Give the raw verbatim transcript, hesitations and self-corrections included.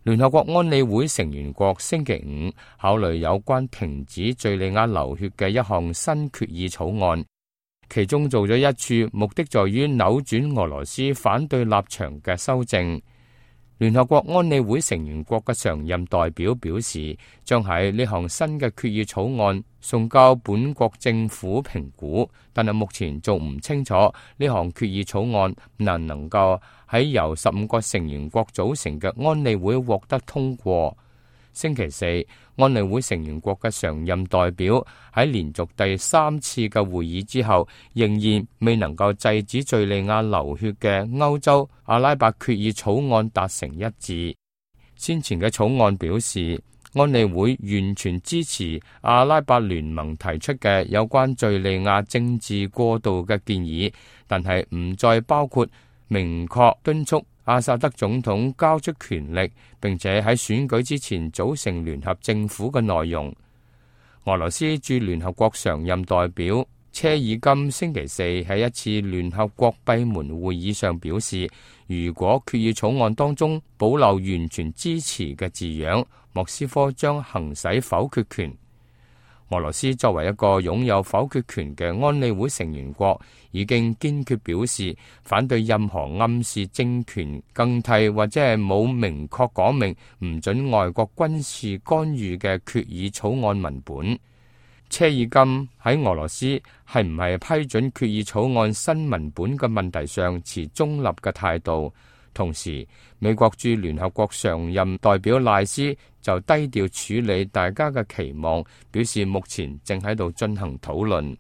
聯合國安理會成員國星期五考慮有關停止敘利亞流血嘅一項新決議草案，其中做咗一處，目的在於扭轉俄羅斯反對立場嘅修正。聯合國安理會成員國嘅常任代表表示，將喺呢項新嘅決議草案送交本國政府評估，但係目前仲唔清楚呢項決議草案能唔能夠喺由十五個成員國組成嘅安理會獲得通過。星期四，安理會成員國嘅常任代表喺連續第三次嘅會議之後，仍然未能夠制止敘利亞流血嘅歐洲阿拉伯決議草案達成一致。先前嘅草案表示，安理會完全支持阿拉伯聯盟提出嘅有關敘利亞政治過渡嘅建議，但係唔再包括明確敦促阿薩德總統交出權力，並且喺選舉之前組成聯合政府嘅內容。俄羅斯駐聯合國常任代表車爾金星期四喺一次聯合國閉門會議上表示，如果決議草案當中保留完全支持嘅字樣，莫斯科將行使否決權。俄羅斯作為一個擁有否決權嘅安理會成員國，已經堅決表示反對任何暗示政權更替或者係冇明確講明唔准外國軍事干預嘅決議草案文本。車爾金喺俄羅斯係唔係批准決議草案新文本嘅問題上持中立嘅態度。同時，美國駐聯合國常任代表賴斯就低調處理大家嘅期望，表示目前正喺度進行討論。